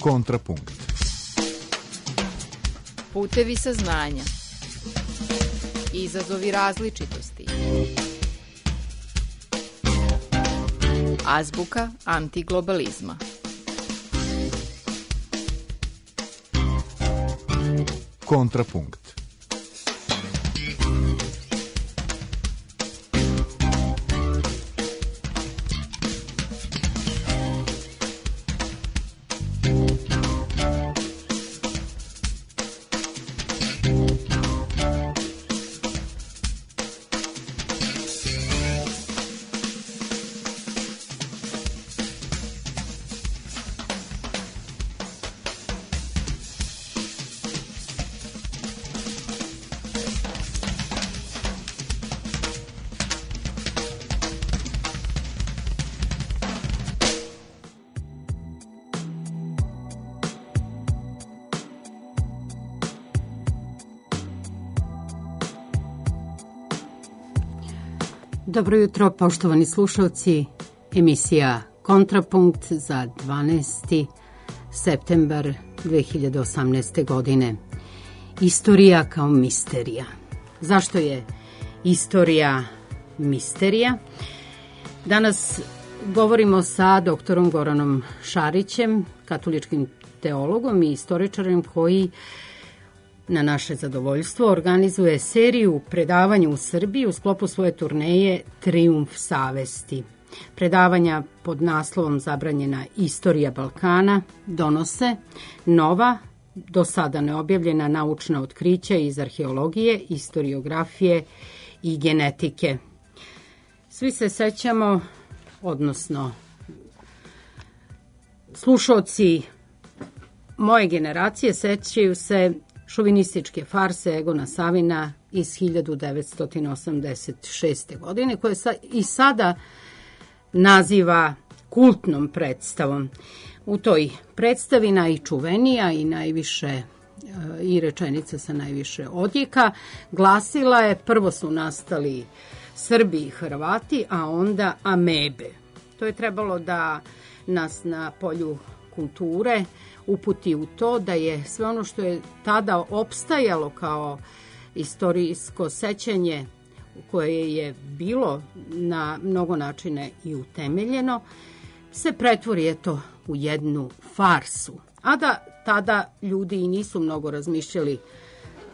Kontrapunkt. Putevi saznanja. Izazovi različitosti. Azbuka antiglobalizma. Kontrapunkt. Dobro jutro, poštovani slušalci. Emisija Kontrapunkt za 12. septembar 2018. godine. Istorija kao misterija. Zašto je istorija misterija? Danas govorimo sa doktorom Goranom Šarićem, katoličkim teologom i istoričarem koji na naše zadovoljstvo organizuje seriju predavanja u Srbiji u sklopu svoje turneje Trijumf savesti. Predavanja pod naslovom Zabranjena istorija Balkana donose nova, do sada neobjavljena naučna otkrića iz arheologije, istoriografije i genetike. Svi se sećamo, odnosno slušaoci moje generacije sećaju se šovinističke farse Egona Savina iz 1986. godine, koje se i sada naziva kultnom predstavom. U toj predstavi najčuvenija i najviše i rečenica sa najviše odjeka glasila je: prvo su nastali Srbi i Hrvati, a onda amebe. To je trebalo da nas na polju kulture uputi u to da je sve ono što je tada opstajalo kao istorijsko sećanje koje je bilo na mnogo načine i utemeljeno, se pretvori u jednu farsu. A da tada ljudi i nisu mnogo razmišljali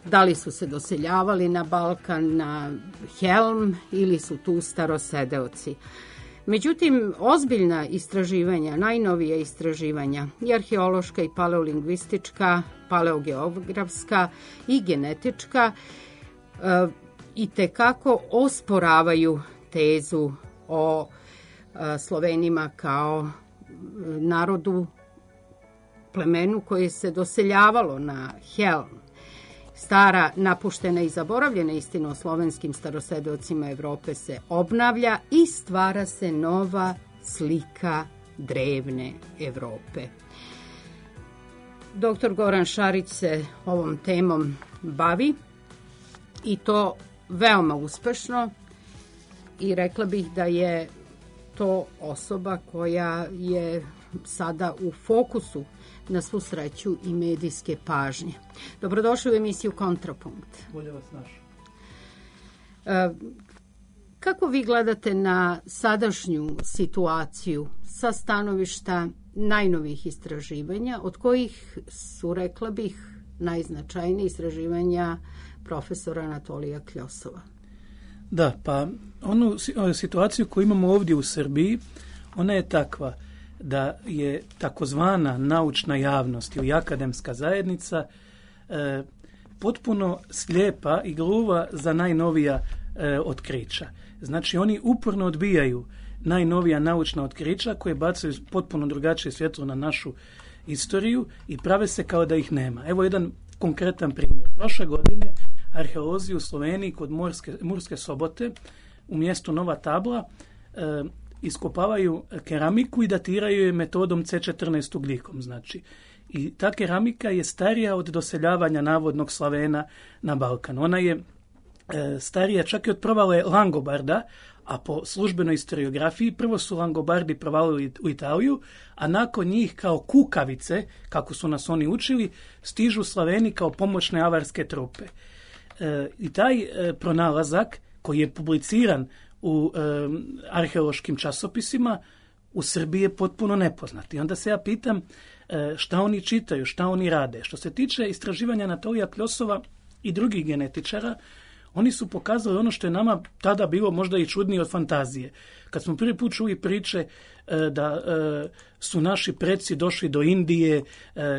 da li su se doseljavali na Balkan, na Helm ili su tu starosedeoci. Međutim, ozbiljna istraživanja, najnovija istraživanja, i arheološka i paleolingvistička, paleogeografska i genetička, i tekako osporavaju tezu o Slovenima kao narodu, plemenu koje se doseljavalo na Helm. Stara, napuštena i zaboravljena istina o slovenskim starosedeocima Evrope se obnavlja i stvara se nova slika drevne Evrope. Doktor Goran Šarić se ovom temom bavi i to veoma uspešno, i rekla bih da je to osoba koja je sada u fokusu, na svu sreću, i medijske pažnje. Dobrodošli u emisiju Kontrapunkt. Bolje vas našao. Kako vi gledate na sadašnju situaciju sa stanovišta najnovijih istraživanja, od kojih su, rekla bih, najznačajnije istraživanja profesora Anatolija Kljosova? Da, pa onu situaciju koju imamo ovdje u Srbiji, ona je takva da je takozvana naučna javnost i akademska zajednica potpuno slijepa i gluva za najnovija otkrića. Znači, oni uporno odbijaju najnovija naučna otkrića koje bacaju potpuno drugačije svjetlo na našu istoriju i prave se kao da ih nema. Evo jedan konkretan primjer. Prošle godine arheolozi u Sloveniji kod Murske Sobote u mjestu Nova Tabla iskopavaju keramiku i datiraju je metodom C14 ugljikom. Znači, i ta keramika je starija od doseljavanja navodnog Slavena na Balkan. Ona je starija čak i od provale Langobarda, a po službenoj historiografiji prvo su Langobardi provalili u Italiju, a nakon njih kao kukavice, kako su nas oni učili, stižu Slaveni kao pomoćne avarske trupe. I taj pronalazak koji je publiciran u arheološkim časopisima u Srbiji je potpuno nepoznat. I onda se ja pitam šta oni čitaju, šta oni rade. Što se tiče istraživanja Anatolija Kljosova i drugih genetičara, oni su pokazali ono što je nama tada bilo možda i čudnije od fantazije. Kad smo prvi put čuli priče da su naši preci došli do Indije,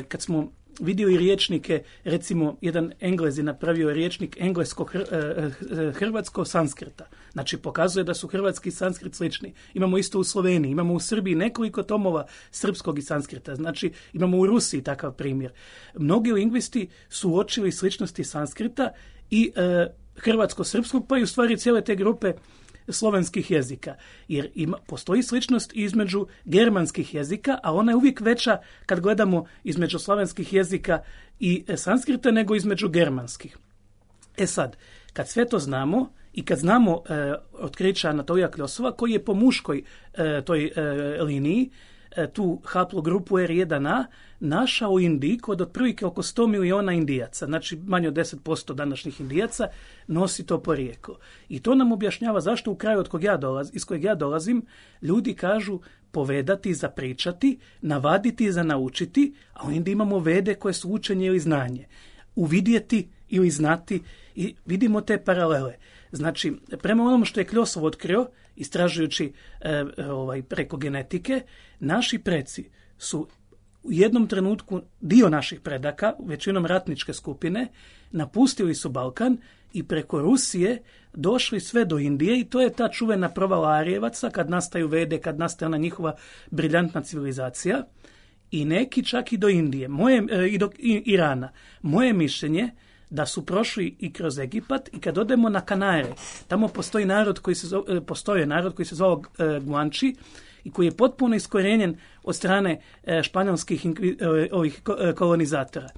kad smo vidjeli riječnike, recimo jedan Englez je napravio riječnik englesko-hrvatsko-sanskrita. Znači pokazuje da su hrvatski i sanskrit slični. Imamo isto u Sloveniji, imamo u Srbiji nekoliko tomova srpskog i sanskrita. Znači imamo u Rusiji takav primjer. Mnogi lingvisti su uočili sličnosti sanskrita i hrvatsko-srpskog, pa i u stvari cijele te grupe slovenskih jezika. Jer postoji sličnost između germanskih jezika, a ona je uvijek veća kad gledamo između slovenskih jezika i sanskrita nego između germanskih. Sad, kad sve to znamo i kad znamo otkrića Anatolija Kljosova, koji je po muškoj toj liniji, tu haplogrupu R1A, našao u Indiji kod otprilike oko 100 miliona Indijaca, znači manje od 10% današnjih Indijaca, nosi to porijeklo. I to nam objašnjava zašto u kraju iz kojeg ja dolazim, ljudi kažu povedati, zapričati, navaditi, za naučiti, a u Indiji imamo vede koje su učenje ili znanje. Uvidjeti ili znati i vidimo te paralele. Znači, prema onom što je Kljosov otkrio, istražujući preko genetike, naši preci su u jednom trenutku dio naših predaka, većinom ratničke skupine, napustili su Balkan i preko Rusije došli sve do Indije i to je ta čuvena provala Arijevaca kad nastaju vede, kad nastaje ona njihova briljantna civilizacija i neki čak i do Indije, i do Irana. Moje mišljenje da su prošli i kroz Egipat i kad odemo na Kanare, tamo postoji narod koji se zvao Guanči i koji je potpuno iskorijenjen od strane španjolskih kolonizatora.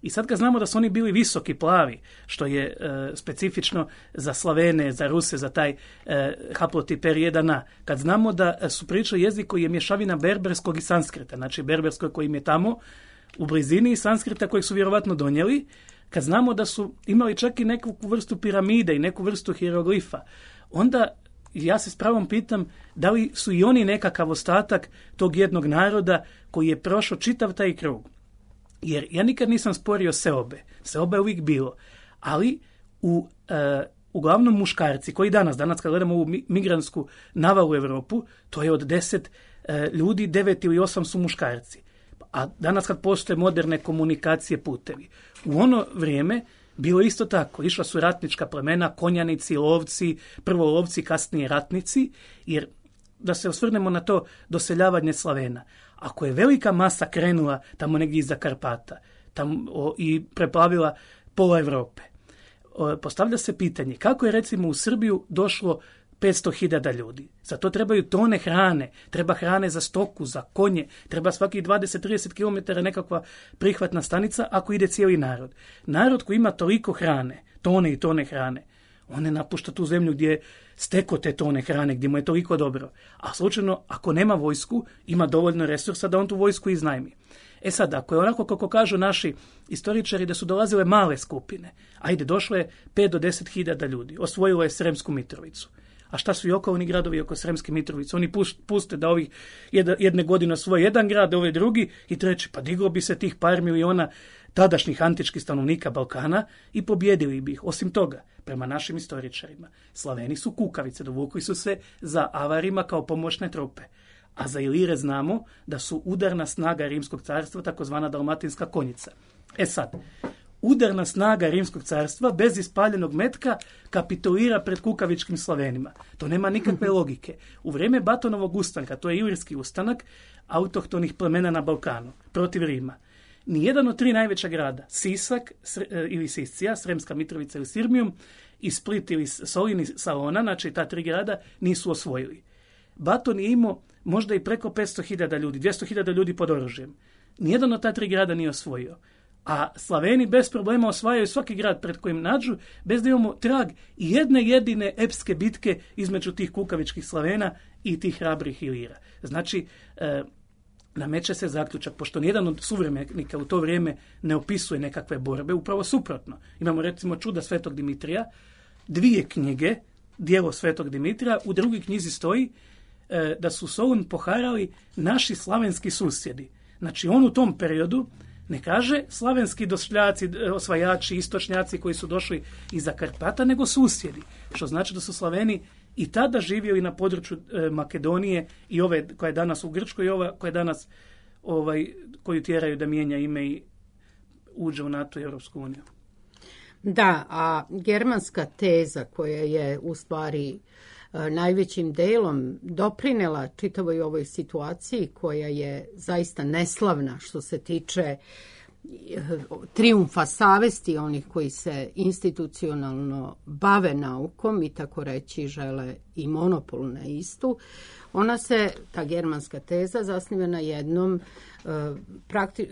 I sad kad znamo da su oni bili visoki, plavi, što je specifično za Slavene, za Ruse, za taj haplotip R1A, kad znamo da su pričali jezik koji je mješavina berberskog i sanskrita, znači berberskog koji im je tamo u blizini i sanskrita kojeg su vjerovatno donijeli, kad znamo da su imali čak i neku vrstu piramide i neku vrstu hieroglifa, onda ja se s pravom pitam da li su i oni nekakav ostatak tog jednog naroda koji je prošao čitav taj krug. Jer ja nikad nisam sporio seobe. Seobe je uvijek bilo. Ali uglavnom muškarci koji danas kad gledamo ovu migrantsku navalu u Europu, to je od 10 ljudi, 9 ili 8 su muškarci. A danas kad postoje moderne komunikacije, putevi. U ono vrijeme bilo isto tako. Išla su ratnička plemena, konjanici, lovci, prvo lovci, kasnije ratnici, jer da se osvrnemo na to doseljavanje Slavena. Ako je velika masa krenula tamo negdje iza Karpata i preplavila pola Europe, postavlja se pitanje kako je recimo u Srbiju došlo 500.000 ljudi. Za to trebaju tone hrane, treba hrane za stoku, za konje, treba svaki 20-30 km nekakva prihvatna stanica ako ide cijeli narod. Narod koji ima toliko hrane, tone i tone hrane, on ne napušta tu zemlju gdje je steko te tone hrane, gdje mu je toliko dobro. A slučajno, ako nema vojsku, ima dovoljno resursa da on tu vojsku iznajmi. Sad, ako je onako kako kažu naši istoričari da su dolazile male skupine, došlo je 5 do 10.000 ljudi, osvojilo je Sremsku Mitrovicu. A šta su i okolni gradovi oko Sremske Mitrovice? Oni puste da ovih jedne godine osvoje jedan grad, ovaj drugi i treći. Pa diglo bi se tih par miliona tadašnjih antičkih stanovnika Balkana i pobjedili bi ih. Osim toga, prema našim istoričarima, Slaveni su kukavice, dovukli su se za avarima kao pomoćne trupe. A za Ilire znamo da su udarna snaga Rimskog carstva, takozvana dalmatinska konjica. Sad, udarna snaga Rimskog carstva bez ispaljenog metka kapitulira pred kukavičkim Slavenima. To nema nikakve logike. U vrijeme Batonovog ustanka, to je Ilirski ustanak autohtonih plemena na Balkanu protiv Rima, nijedan od 3 najveća grada, Sisak ili Siscija, Sremska Mitrovica ili Sirmijum, i Split ili Solin i Salona, znači ta 3 grada, nisu osvojili. Baton je imao možda i preko 500.000 ljudi, 200.000 ljudi pod oružjem. Nijedan od ta 3 grada nije osvojio. A Slaveni bez problema osvajaju svaki grad pred kojim nađu, bez da imamo trag i jedne jedine epske bitke između tih kukavičkih Slavena i tih hrabrih Ilira. Znači, nameće se zaključak, pošto nijedan od suvremenika u to vrijeme ne opisuje nekakve borbe, upravo suprotno. Imamo recimo čuda Svetog Dimitrija, 2 knjige, djelo Svetog Dimitrija, u drugoj knjizi stoji da su Solun poharali naši slavenski susjedi. Znači, on u tom periodu ne kaže slavenski došljaci, osvajači, istočnjaci koji su došli iza Karpata, nego susjedi. Što znači da su Slaveni i tada živjeli na području Makedonije i ove koja je danas u Grčkoj i ova koja je danas koju tjeraju da mijenja ime i uđe u NATO i Europsku uniju. Da, a germanska teza koja je u stvari najvećim delom doprinela čitavoj ovoj situaciji koja je zaista neslavna što se tiče trijumfa savesti onih koji se institucionalno bave naukom i tako reći žele i monopol na istu. Ona se, ta germanska teza, zasniva na jednom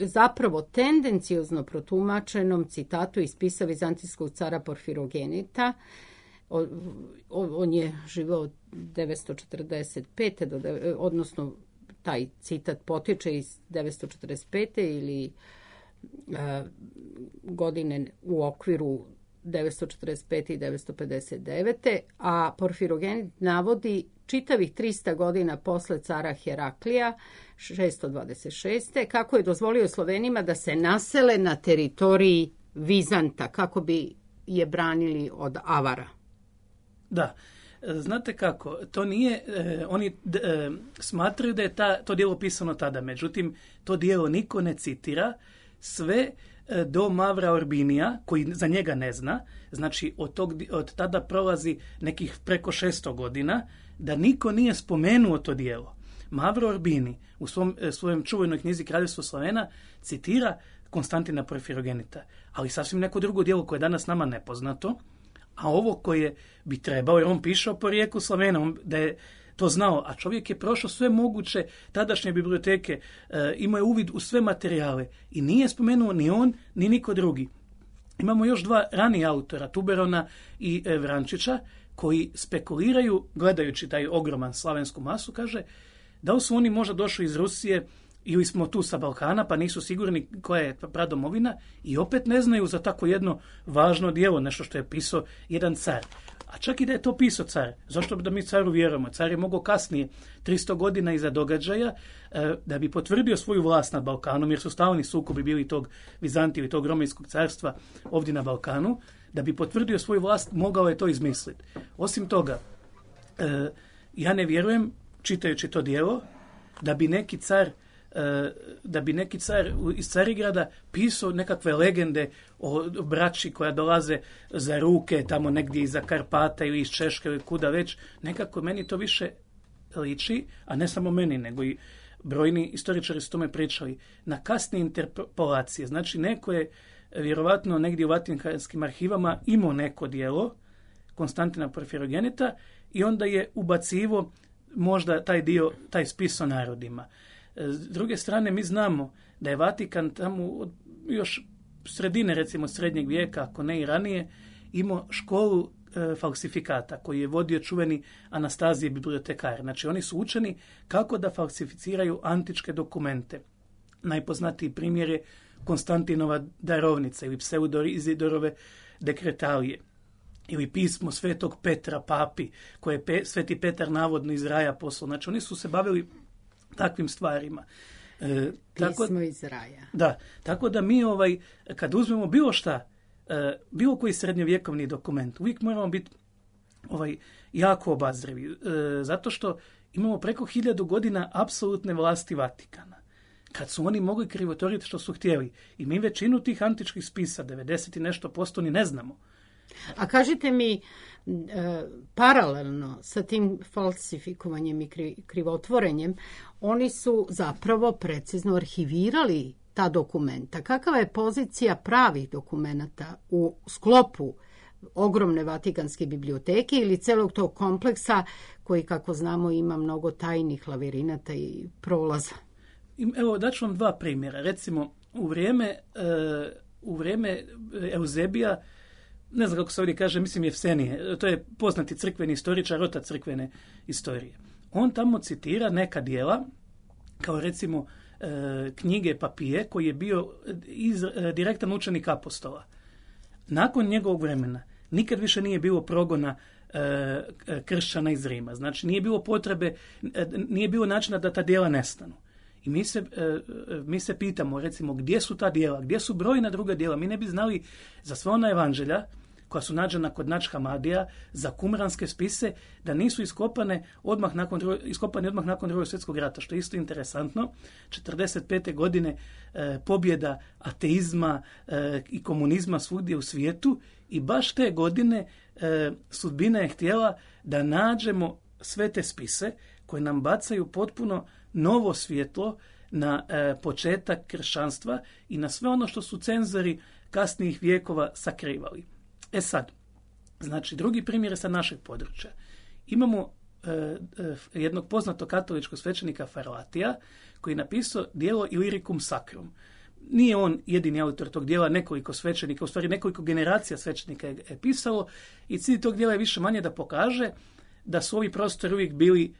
zapravo tendenciozno protumačenom citatu iz spisa vizantijskog cara Porfirogenita. On je živao od 945. odnosno taj citat potiče iz 945. ili godine u okviru 945. i 959. A Porfirogenit navodi čitavih 300 godina posle cara Heraklija, 626. kako je dozvolio Slovenima da se nasele na teritoriji Vizanta, kako bi je branili od Avara. Da, znate kako, to nije, oni smatraju da je to djelo pisano tada, međutim, to djelo niko ne citira, sve do Mavra Orbinija, koji za njega ne zna, znači od tada prolazi nekih preko 600 godina, da niko nije spomenuo to djelo. Mavro Orbini u svojom čuvenoj knjizi Kraljevstvo Slavena citira Konstantina Porfirogenita, ali sasvim neko drugo djelo koje je danas nama nepoznato, a ovo koje bi trebao, jer on piše o porijeku Slavena, da je to znao, a čovjek je prošao sve moguće tadašnje biblioteke, imao je uvid u sve materijale i nije spomenuo ni on, ni niko drugi. Imamo još 2 ranija autora, Tuberona i Vrančića, koji spekuliraju, gledajući taj ogroman slavensku masu, kaže da li su oni možda došli iz Rusije ili smo tu sa Balkana, pa nisu sigurni koja je pradomovina i opet ne znaju za tako jedno važno djelo, nešto što je pisao jedan car. A čak i da je to pisao car, zašto da mi caru vjerujemo? Car je mogao kasnije, 300 godina iza događaja, da bi potvrdio svoju vlast nad Balkanom, jer su stalni sukobi bili tog Vizantije ili tog Romejskog carstva ovdje na Balkanu, da bi potvrdio svoju vlast, mogao je to izmisliti. Osim toga, ja ne vjerujem, čitajući to djelo, da bi neki car iz Carigrada pisao nekakve legende o braći koja dolaze za ruke tamo negdje iza Karpata ili iz Češke ili kuda već. Nekako meni to više liči, a ne samo meni, nego i brojni istoričari su tome pričali, na kasne interpolacije. Znači, neko je vjerovatno negdje u Vatikanskim arhivama imao neko djelo Konstantina Porfirogenita i onda je ubacivo možda taj spis o narodima. S druge strane, mi znamo da je Vatikan tamo od još sredine, recimo srednjeg vijeka, ako ne i ranije, imao školu falsifikata koji je vodio čuveni Anastazije bibliotekar. Znači, oni su učeni kako da falsificiraju antičke dokumente. Najpoznatiji primjer je Konstantinova darovnica ili Pseudizidorove dekretalije ili pismo Svetog Petra papi koje je Sveti Petar navodno iz raja poslao. Znači, oni su se bavili takvim stvarima. Pismo iz raja. Da, tako da mi kad uzmemo bilo šta, bilo koji srednjovjekovni dokument, uvijek moramo biti jako obazrivi, zato što imamo preko 1000 godina apsolutne vlasti Vatikana. Kad su oni mogli krivotvoriti što su htjeli. I mi većinu tih antičkih spisa, 90 i nešto posto, ni ne znamo. A kažite mi, paralelno sa tim falsifikovanjem i krivotvorenjem, oni su zapravo precizno arhivirali ta dokumenta. Kakva je pozicija pravih dokumenata u sklopu ogromne Vatikanske biblioteke ili celog tog kompleksa koji, kako znamo, ima mnogo tajnih lavirinata i prolaza? Evo, daću vam 2 primjera. Recimo, u vrijeme u vrijeme Euzebija, ne znam kako se ovdje kaže, mislim Jefsenije, to je poznati crkveni istoričar, otac crkvene istorije. On tamo citira neka dijela, kao recimo knjige Papije, koji je bio direktan učenik apostola. Nakon njegovog vremena nikad više nije bilo progona kršćana iz Rima. Znači, nije bilo potrebe, nije bilo načina da ta dijela nestanu. I mi se pitamo, recimo, gdje su ta dijela, gdje su brojna druga dijela. Mi ne bi znali za sva ona evanđelja koja su nađena kod Nač Hamadija, za kumranske spise, da nisu iskopani odmah nakon Drugog svjetskog rata, što je isto interesantno. 45. godine pobjeda ateizma i komunizma svugdje u svijetu, i baš te godine sudbina je htjela da nađemo sve te spise koje nam bacaju potpuno novo svjetlo na početak kršćanstva i na sve ono što su cenzori kasnijih vijekova sakrivali. Sad, znači, drugi primjer je sa našeg područja. Imamo jednog poznatog katoličkog svećenika Farlatija, koji je napisao dijelo Illyricum Sacrum. Nije on jedini autor tog dijela, nekoliko svećenika, u stvari nekoliko generacija svećenika je pisalo, i cilj tog dijela je više manje da pokaže da su ovi prostori uvijek bili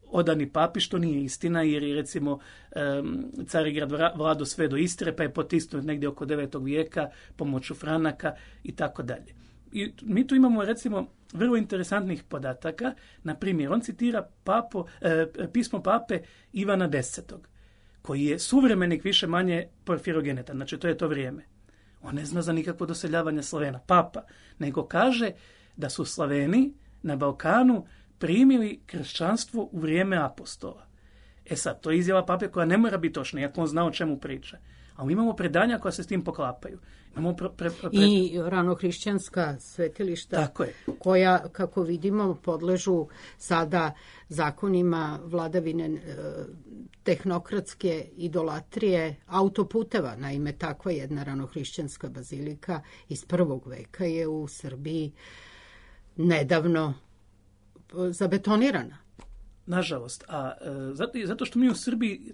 odani papi, što nije istina, jer je recimo Carigrad vladao sve do Istre, pa je potisnut negdje oko 9. vijeka pomoću Franaka i tako dalje. I mi tu imamo recimo vrlo interesantnih podataka. Na primjer, on citira pismo pape Ivana X, koji je suvremenik više manje Porfirogeneta, znači to je to vrijeme. On ne zna za nikakvo doseljavanje Slavena, papa, nego kaže da su Slaveni na Balkanu primili kršćanstvo u vrijeme apostola. Sad, to je izjava pape koja ne mora biti točna, iako on zna o čemu priča. A mi imamo predanja koja se s tim poklapaju. Imamo i ranohrišćanska svetilišta, koja, kako vidimo, podležu sada zakonima vladavine tehnokratske idolatrije autoputeva. Naime, takva jedna ranohrišćanska bazilika iz 1. veka je u Srbiji nedavno zabetonirana. Nažalost. A zato što mi u Srbiji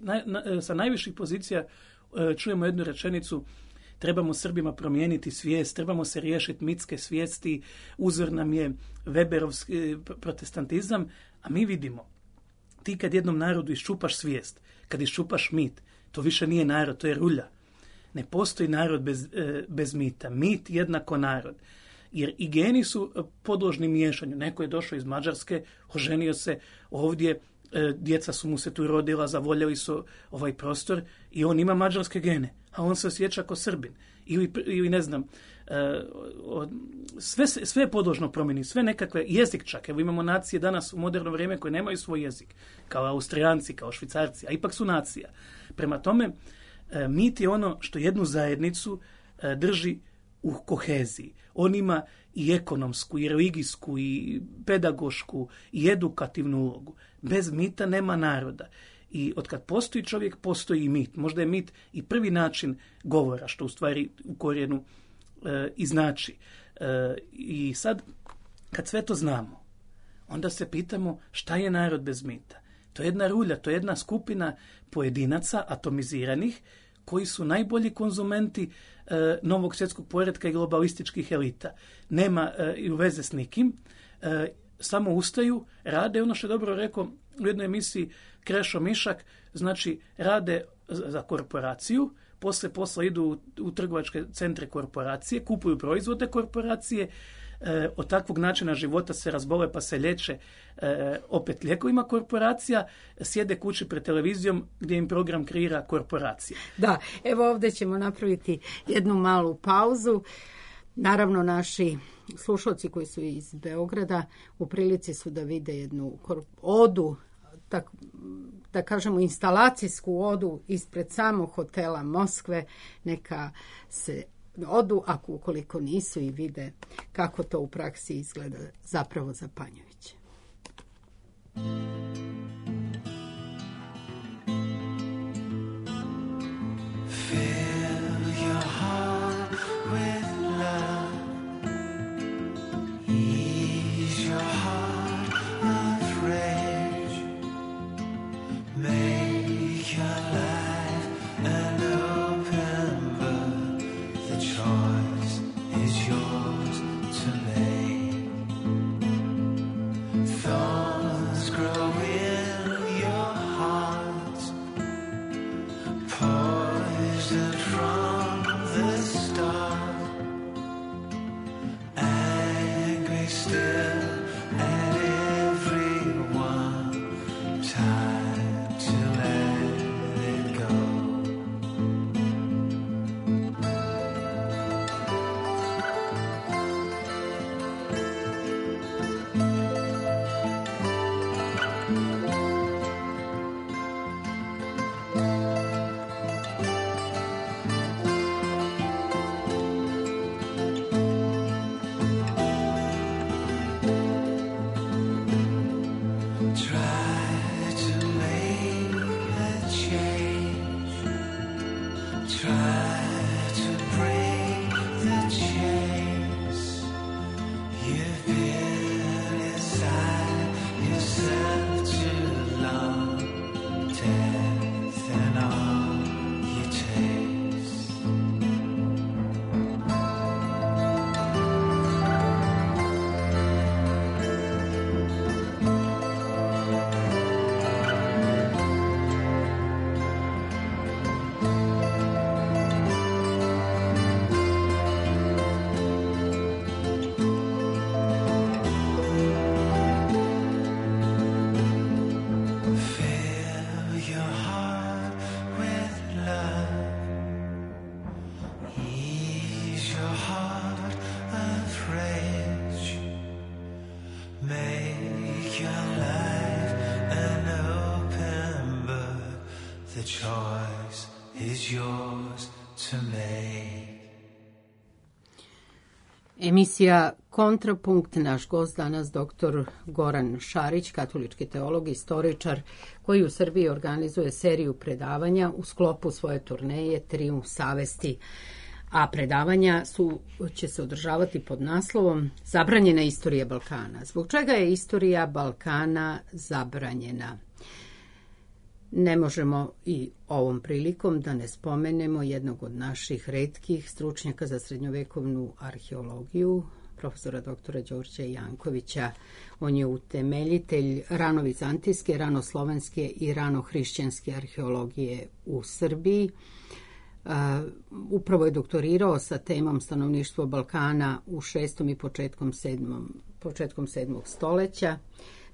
sa najviših pozicija čujemo jednu rečenicu: trebamo Srbima promijeniti svijest, trebamo se riješiti mitske svijesti, uzor nam je Weberovski protestantizam, a mi vidimo, ti kad jednom narodu iščupaš svijest, kad iščupaš mit, to više nije narod, to je rulja. Ne postoji narod bez mita. Mit jednako narod. Jer i geni su podložni miješanju. Neko je došao iz Mađarske, oženio se ovdje, djeca su mu se tu rodila, zavoljeli su ovaj prostor i on ima mađarske gene, a on se osjeća kao Srbin. Ili ne znam, sve je podložno promjeni, sve nekakve, jezik čak. Evo imamo nacije danas u moderno vrijeme koje nemaju svoj jezik, kao Austrijanci, kao Švicarci, a ipak su nacija. Prema tome, mit je ono što jednu zajednicu drži u koheziji. On ima i ekonomsku, i religijsku, i pedagošku, i edukativnu ulogu. Bez mita nema naroda. I otkad postoji čovjek, postoji i mit. Možda je mit i prvi način govora, što u stvari u korijenu i znači. I sad, kad sve to znamo, onda se pitamo šta je narod bez mita. To je jedna rulja, to je jedna skupina pojedinaca atomiziranih, koji su najbolji konzumenti novog svjetskog poretka i globalističkih elita. Nema i u veze s nikim, samo ustaju, rade ono što je dobro rekao u jednoj emisiji Krešo Mišak, znači rade za korporaciju, poslije posla idu u trgovačke centre korporacije, kupuju proizvode korporacije, od takvog načina života se razbole pa se liječe opet lijekovima korporacija, sjede kući pred televizijom gdje im program kreira korporacija. Da, evo ovdje ćemo napraviti jednu malu pauzu. Naravno, naši slušalci koji su iz Beograda u prilici su da vide jednu odu, da kažemo instalacijsku odu ispred samog hotela Moskve. Neka se odu, ako ukoliko nisu, i vide kako to u praksi izgleda, zapravo zapanjujuće. Fill your heart with love. Ease your heart of rage. Make your life an open book. The The choice is yours to make. Emisija Kontrapunkt, naš gost danas dr. Goran Šarić, katolički teolog, istoričar, koji u Srbiji organizuje seriju predavanja u sklopu svoje turneje Trijumf savesti. A predavanja će se održavati pod naslovom Zabranjena istorija Balkana. Zbog čega je istorija Balkana zabranjena? Ne možemo i ovom prilikom da ne spomenemo jednog od naših retkih stručnjaka za srednjovekovnu arheologiju, profesora doktora Đorđa Jankovića. On je utemeljitelj ranovizantijske, ranoslovenske i ranohrišćanske arheologije u Srbiji. Upravo je doktorirao sa temom stanovništvo Balkana u 6. i početkom 7. stoleća.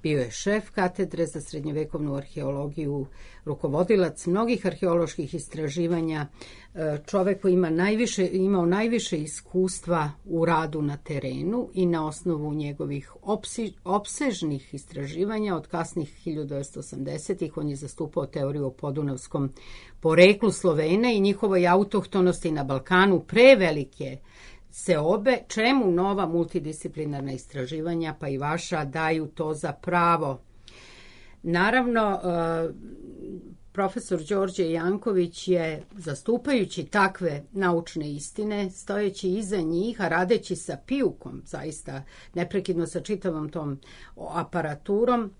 Bio je šef katedre za srednjovekovnu arheologiju, rukovodilac mnogih arheoloških istraživanja, čovek koji imao najviše iskustva u radu na terenu i na osnovu njegovih opsežnih istraživanja od kasnih 1980-ih on je zastupao teoriju o podunavskom poreklu Slovena i njihovoj autohtonosti na Balkanu prevelike seobe, čemu nova multidisciplinarna istraživanja, pa i vaša, daju to za pravo. Naravno, profesor Đorđe Janković je, zastupajući takve naučne istine, stojeći iza njih, a radeći sa pijukom, zaista neprekidno sa čitavom tom aparaturom,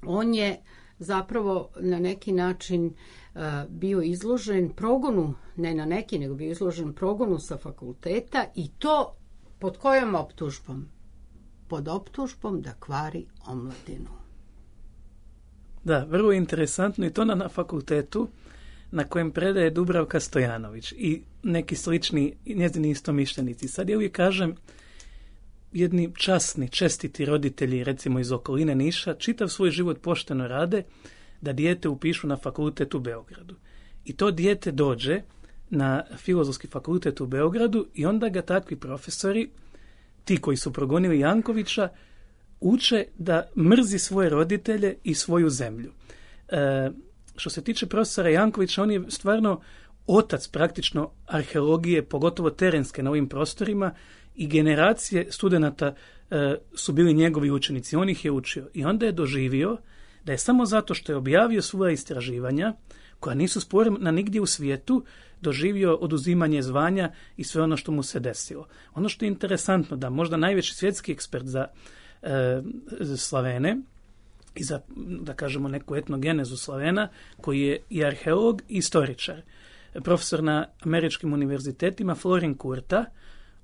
on je zapravo na neki način bio izložen progonu, ne na neki, nego bio izložen progonu sa fakulteta i to pod kojom optužbom? Pod optužbom da kvari omladinu. Da, vrlo interesantno i to na fakultetu na kojem predaje Dubravka Stojanović i neki slični njezini istomišljenici. Sad ja uvijek kažem, jedni časni, čestiti roditelji, recimo iz okoline Niša, čitav svoj život pošteno rade da dijete upišu na fakultet u Beogradu. I to dijete dođe na Filozofski fakultet u Beogradu i onda ga takvi profesori, ti koji su progonili Jankovića, uče da mrzi svoje roditelje i svoju zemlju. Što se tiče profesora Jankovića, on je stvarno otac praktično arheologije, pogotovo terenske na ovim prostorima, i generacije studenata su bili njegovi učenici. On ih je učio. I onda je doživio da je samo zato što je objavio svoja istraživanja, koja nisu sporna nigdje u svijetu, doživio oduzimanje zvanja i sve ono što mu se desilo. Ono što je interesantno, da možda najveći svjetski ekspert za Slavene i za, da kažemo, neku etnogenezu Slavena, koji je i arheolog i istoričar, profesor na američkim univerzitetima Florin Kurta,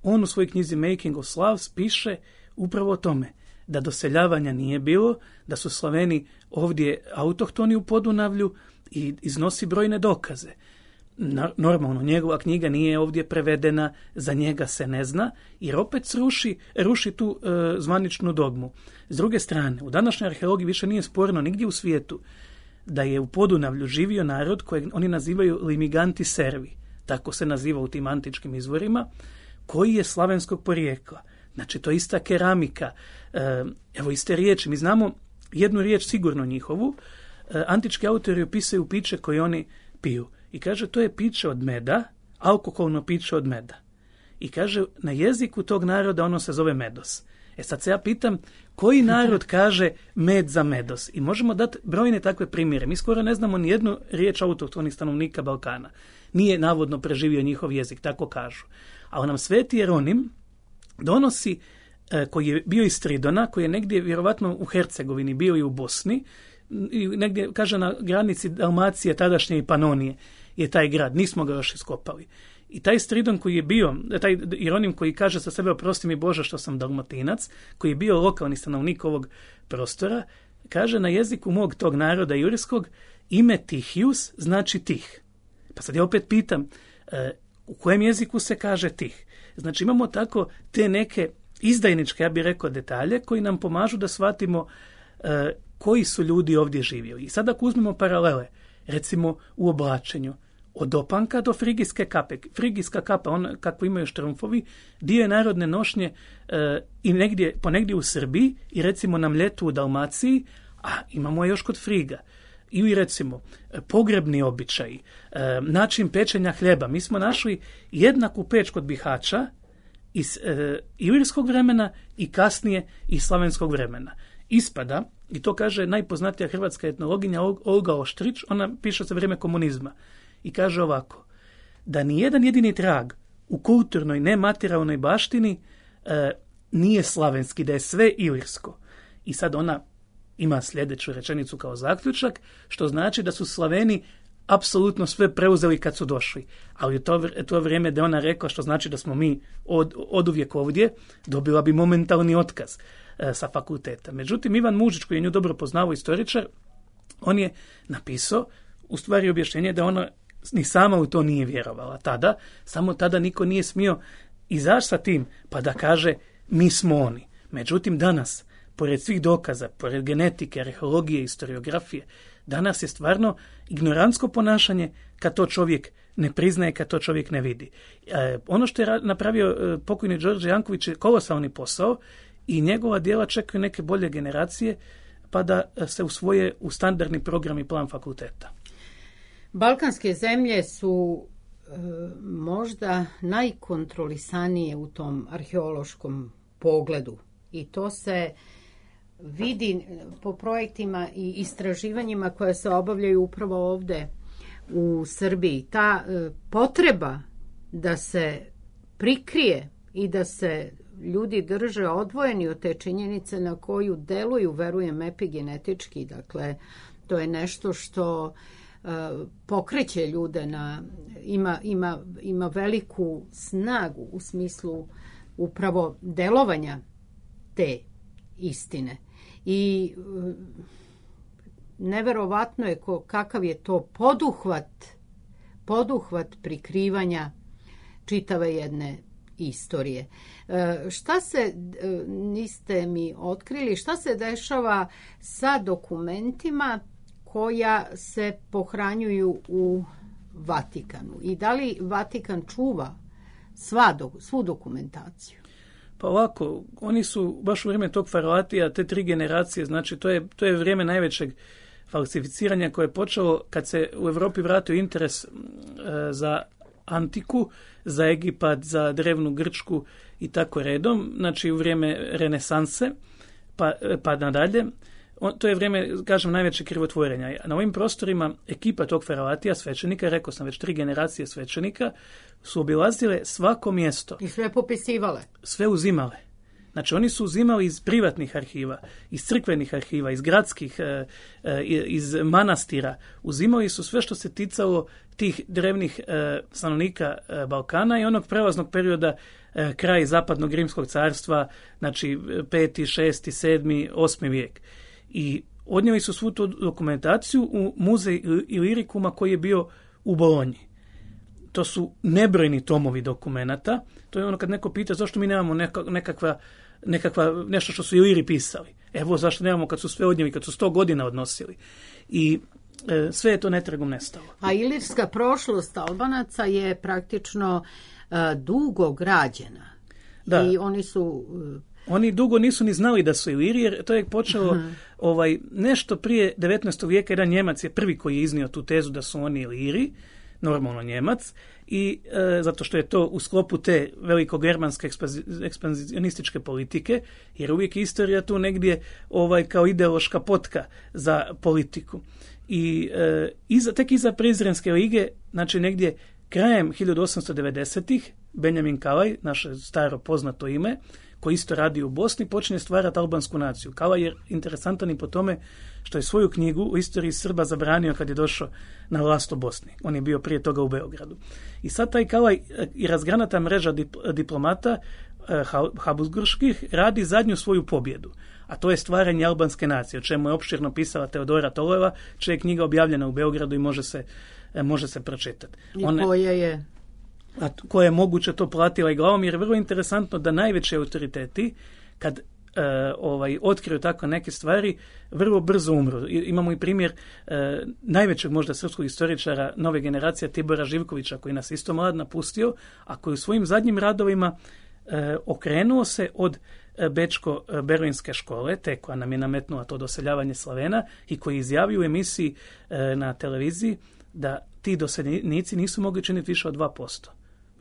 on u svojoj knjizi Making of Slavs piše upravo o tome da doseljavanja nije bilo, da su Slaveni ovdje autohtoni u Podunavlju i iznosi brojne dokaze. Normalno, njegova knjiga nije ovdje prevedena, za njega se ne zna, jer opet ruši tu zvaničnu dogmu. S druge strane, u današnjoj arheologiji više nije sporno nigdje u svijetu da je u Podunavlju živio narod kojeg oni nazivaju Limiganti Servi, tako se naziva u tim antičkim izvorima, koji je slavenskog porijekla. Znači, to je ista keramika, evo iste riječi. Mi znamo jednu riječ sigurno njihovu. Antički autori opisuju piće koje oni piju. I kaže, to je piće od meda, alkoholno piće od meda. I kaže, na jeziku tog naroda ono se zove medos. Sad se ja pitam, koji narod kaže med za medos? I možemo dati brojne takve primjere. Mi skoro ne znamo ni jednu riječ autohtonih stanovnika Balkana. Nije navodno preživio njihov jezik, tako kažu. Ali nam Sveti Jeronim donosi, koji je bio iz Stridona, koji je negdje vjerovatno u Hercegovini, bio i u Bosni, i negdje, kaže, na granici Dalmacije, tadašnje i Panonije je taj grad, nismo ga još iskopali. I taj Stridon koji je bio, taj Jeronim koji kaže sa sebe, oprosti mi Bože što sam Dalmatinac, koji je bio lokalni stanovnik ovog prostora, kaže, na jeziku mog tog naroda jurskog ime Tihius znači tih. Pa sad ja opet pitam, u kojem jeziku se kaže tih? Znači imamo tako te neke izdajničke, ja bih rekao, detalje koji nam pomažu da shvatimo koji su ljudi ovdje živjeli. I sad ako uzmemo paralele, recimo u oblačenju, od opanka do frigijske kape. Frigijska kapa, on kako imaju štrumfovi, dio je narodne nošnje i ponegdje u Srbiji i recimo na Mljetu u Dalmaciji, a imamo je još kod Friga. ili recimo pogrebni običaji, način pečenja hljeba. Mi smo našli jednaku peć kod Bihaća iz ilirskog vremena i kasnije iz slavenskog vremena. Ispada, i to kaže najpoznatija hrvatska etnologinja Olga Oštrić, ona piše za vrijeme komunizma i kaže ovako, da ni jedan jedini trag u kulturnoj nematerijalnoj baštini nije slavenski, da je sve ilirsko. I sad ona ima sljedeću rečenicu kao zaključak, što znači da su Slaveni apsolutno sve preuzeli kad su došli. Ali to vrijeme da ona rekla, što znači da smo mi oduvijek ovdje, dobila bi momentalni otkaz sa fakulteta. Međutim, Ivan Mužić, koji je nju dobro poznao, istoričar, on je napisao u stvari objašnjenje da ona ni sama u to nije vjerovala tada, samo tada niko nije smio izaći sa tim pa da kaže mi smo oni. Međutim, danas, pored svih dokaza, pored genetike, arheologije, historiografije, danas je stvarno ignorantsko ponašanje kad to čovjek ne priznaje, kad to čovjek ne vidi. Ono što je napravio pokojni Đorđe Janković je kolosalni posao i njegova djela čekaju neke bolje generacije pa da se usvoje u standardni program i plan fakulteta. Balkanske zemlje su možda najkontrolisanije u tom arheološkom pogledu i to se vidi po projektima i istraživanjima koje se obavljaju upravo ovdje u Srbiji. Ta potreba da se prikrije i da se ljudi drže odvojeni od te činjenice na koju deluju, verujem, epigenetički. Dakle, to je nešto što pokreće ljude ima veliku snagu u smislu upravo delovanja te istine. I neverovatno je kakav je to poduhvat prikrivanja čitave jedne istorije. Šta se, niste mi otkrili, šta se dešava sa dokumentima koja se pohranjuju u Vatikanu? I da li Vatikan čuva svu dokumentaciju? Pa ovako, oni su baš u vrijeme tog faraoatija, te 3 generacije, znači to je vrijeme najvećeg falsificiranja koje je počelo kad se u Europi vratio interes za antiku, za Egipat, za drevnu Grčku i tako redom, znači u vrijeme renesanse pa nadalje. To je vrijeme, kažem, najveće krivotvorenja. Na ovim prostorima ekipa tog faraoatija, svećenika, rekao sam već 3 generacije svećenika, su obilazile svako mjesto. I sve popisivale. Sve uzimale. Znači, oni su uzimali iz privatnih arhiva, iz crkvenih arhiva, iz gradskih, iz manastira. Uzimali su sve što se ticalo tih drevnih stanovnika Balkana i onog prelaznog perioda kraj zapadnog rimskog carstva, znači 5., 6., 7., 8. vijek. I odnijeli su svu tu dokumentaciju u muzej Ilirikuma koji je bio u Bolonji. To su nebrojni tomovi dokumenata. To je ono kad neko pita zašto mi nemamo nekakva nešto što su Iliri pisali. Evo zašto nemamo kad su sve odnijeli, kad su 100 godina odnosili. I sve je to netragom nestalo. A ilirska prošlost Albanaca je praktično dugo građena. Da. I oni su... Oni dugo nisu ni znali da su Iliri, jer to je počelo nešto prije 19. vijeka. Jedan Njemac je prvi koji je iznio tu tezu da su oni Iliri, normalno Njemac, i zato što je to u sklopu te veliko-germanske ekspanzionističke politike, jer uvijek je istorija tu negdje kao ideološka potka za politiku. I tek iza Prizrenske lige, znači negdje krajem 1890-ih, Benjamin Kalaj, naše staro poznato ime, koji isto radi u Bosni, počinje stvarati albansku naciju. Kalaj je interesantan i po tome što je svoju knjigu u istoriji Srba zabranio kad je došao na vlast u Bosni. On je bio prije toga u Beogradu. I sad taj Kalaj i razgranata mreža diplomata habsburških radi zadnju svoju pobjedu. A to je stvaranje albanske nacije, o čemu je opširno pisala Teodora Toleva, čija je knjiga objavljena u Beogradu i može se pročitati. Koja je moguće to platila i glavom, jer je vrlo interesantno da najveći autoriteti, kad otkriju tako neke stvari, vrlo brzo umru. Imamo i primjer najvećeg možda srpskog istoričara nove generacije, Tibora Živkovića, koji nas isto mlad napustio, a koji u svojim zadnjim radovima okrenuo se od Bečko-berlinske škole, te koja nam je nametnula to doseljavanje Slavena i koji izjavio u emisiji na televiziji da ti doseljenici nisu mogli činiti više od 2%.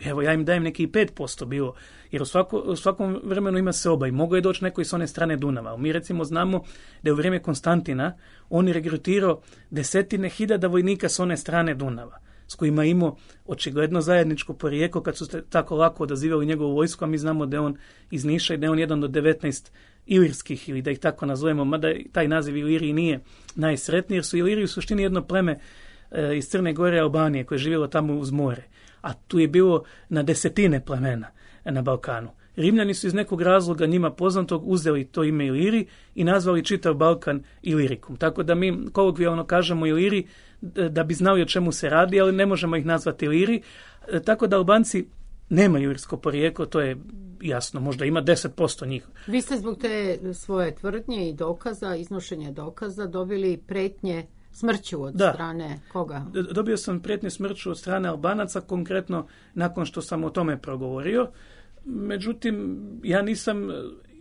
Evo, ja im dajem neki 5% bilo, jer u svakom vremenu ima seoba i mogo je doći neko iz one strane Dunava. Mi recimo znamo da je u vrijeme Konstantina on je regrutirao 10.000 vojnika s one strane Dunava, s kojima je imao očigledno zajedničko porijeklo kad su tako lako odazivali njegovu vojsku, a mi znamo da je on iz Niša i da je on jedan od 19 ilirskih, ili da ih tako nazovemo, mada taj naziv Iliriji nije najsretniji, jer su Iliri u suštini jedno pleme iz Crne Gore i Albanije koje je živjelo tamo uz more, a tu je bilo na desetine plemena na Balkanu. Rimljani su iz nekog razloga njima poznatog uzeli to ime Iliri i nazvali čitav Balkan Ilirikum. Tako da mi kolokvijalno kažemo Iliri da bi znali o čemu se radi, ali ne možemo ih nazvati Iliri. Tako da Albanci nemaju ilirsko porijeklo, to je jasno, možda ima 10% njih. Vi ste zbog te svoje tvrdnje i dokaza, iznošenja dokaza, dobili pretnje smrću od strane koga? Dobio sam prijetnje smrću od strane Albanaca, konkretno nakon što sam o tome progovorio. Međutim, ja nisam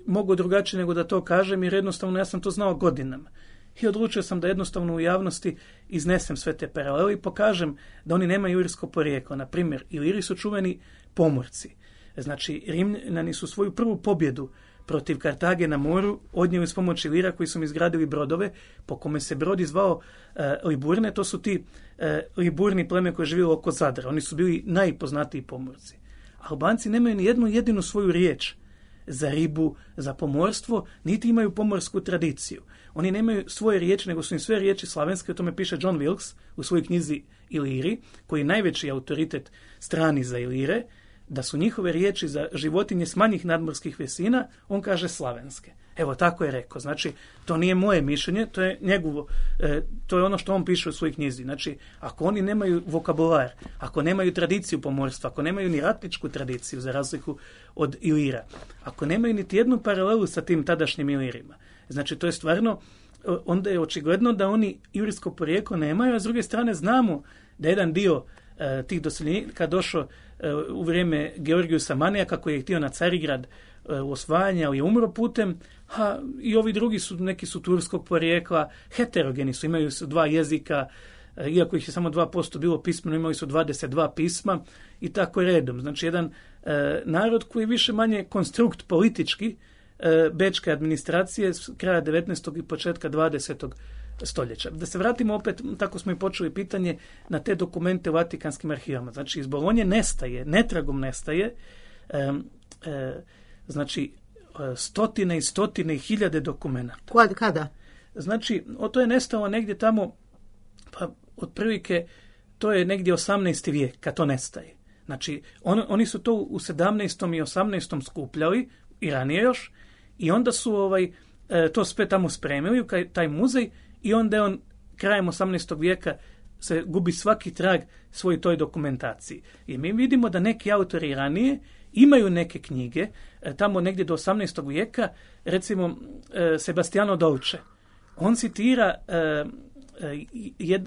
mogao drugačije nego da to kažem, jer jednostavno ja sam to znao godinama. I odlučio sam da jednostavno u javnosti iznesem sve te paralele i pokažem da oni nemaju ilirsko porijeklo. Na primjer, Iliri su čuveni pomorci. Znači, Rimljani su svoju prvu pobjedu protiv Kartage na moru odnijeli s pomoći Ilira koji su im izgradili brodove, po kome se brod zvao Liburne. To su ti Liburni pleme koje je živjelo oko Zadra. Oni su bili najpoznatiji pomorci. Albanci nemaju ni jednu jedinu svoju riječ za ribu, za pomorstvo, niti imaju pomorsku tradiciju. Oni nemaju svoje riječi, nego su im sve riječi slavenske, o tome piše John Wilkes u svojoj knjizi Iliri, koji je najveći autoritet strani za Ilire, da su njihove riječi za životinje s manjih nadmorskih visina, on kaže slavenske. Evo, tako je rekao. Znači, to nije moje mišljenje, to je njegovo, to je ono što on piše u svojoj knjizi. Znači, ako oni nemaju vokabular, ako nemaju tradiciju pomorstva, ako nemaju ni ratničku tradiciju, za razliku od Ilira, ako nemaju niti jednu paralelu sa tim tadašnjim Ilirima, znači, to je stvarno, onda je očigledno da oni ilirsko porijeklo nemaju, a s druge strane znamo da jedan dio tih doseljenika došao u vrijeme Georgijusa Manija, kako je htio na Carigrad u osvajanje, ali je umro putem, a i ovi drugi su, neki su turskog porijekla, heterogeni su, imaju su 2 jezika, iako ih je samo 2% bilo pismeno, imali su 22 pisma i tako redom. Znači, jedan narod koji je više manje konstrukt politički bečke administracije s kraja 19. i početka 20. stoljeća. Da se vratimo opet, tako smo i počeli pitanje, na te dokumente u Vatikanskim arhivama. Znači, iz Bolonje nestaje, netragom nestaje, znači, stotine i stotine i hiljade dokumenta. Kada? Znači, to je nestalo negdje tamo, pa otprilike, to je negdje 18. vijek, kad to nestaje. Znači, oni su to u 17. i 18. skupljali, i ranije još, i onda su to sve tamo spremili u taj muzej, i onda je on krajem 18. vijeka se gubi svaki trag svoj toj dokumentaciji. I mi vidimo da neki autori ranije imaju neke knjige, tamo negdje do 18. vijeka, recimo Sebastiano Dolce. On citira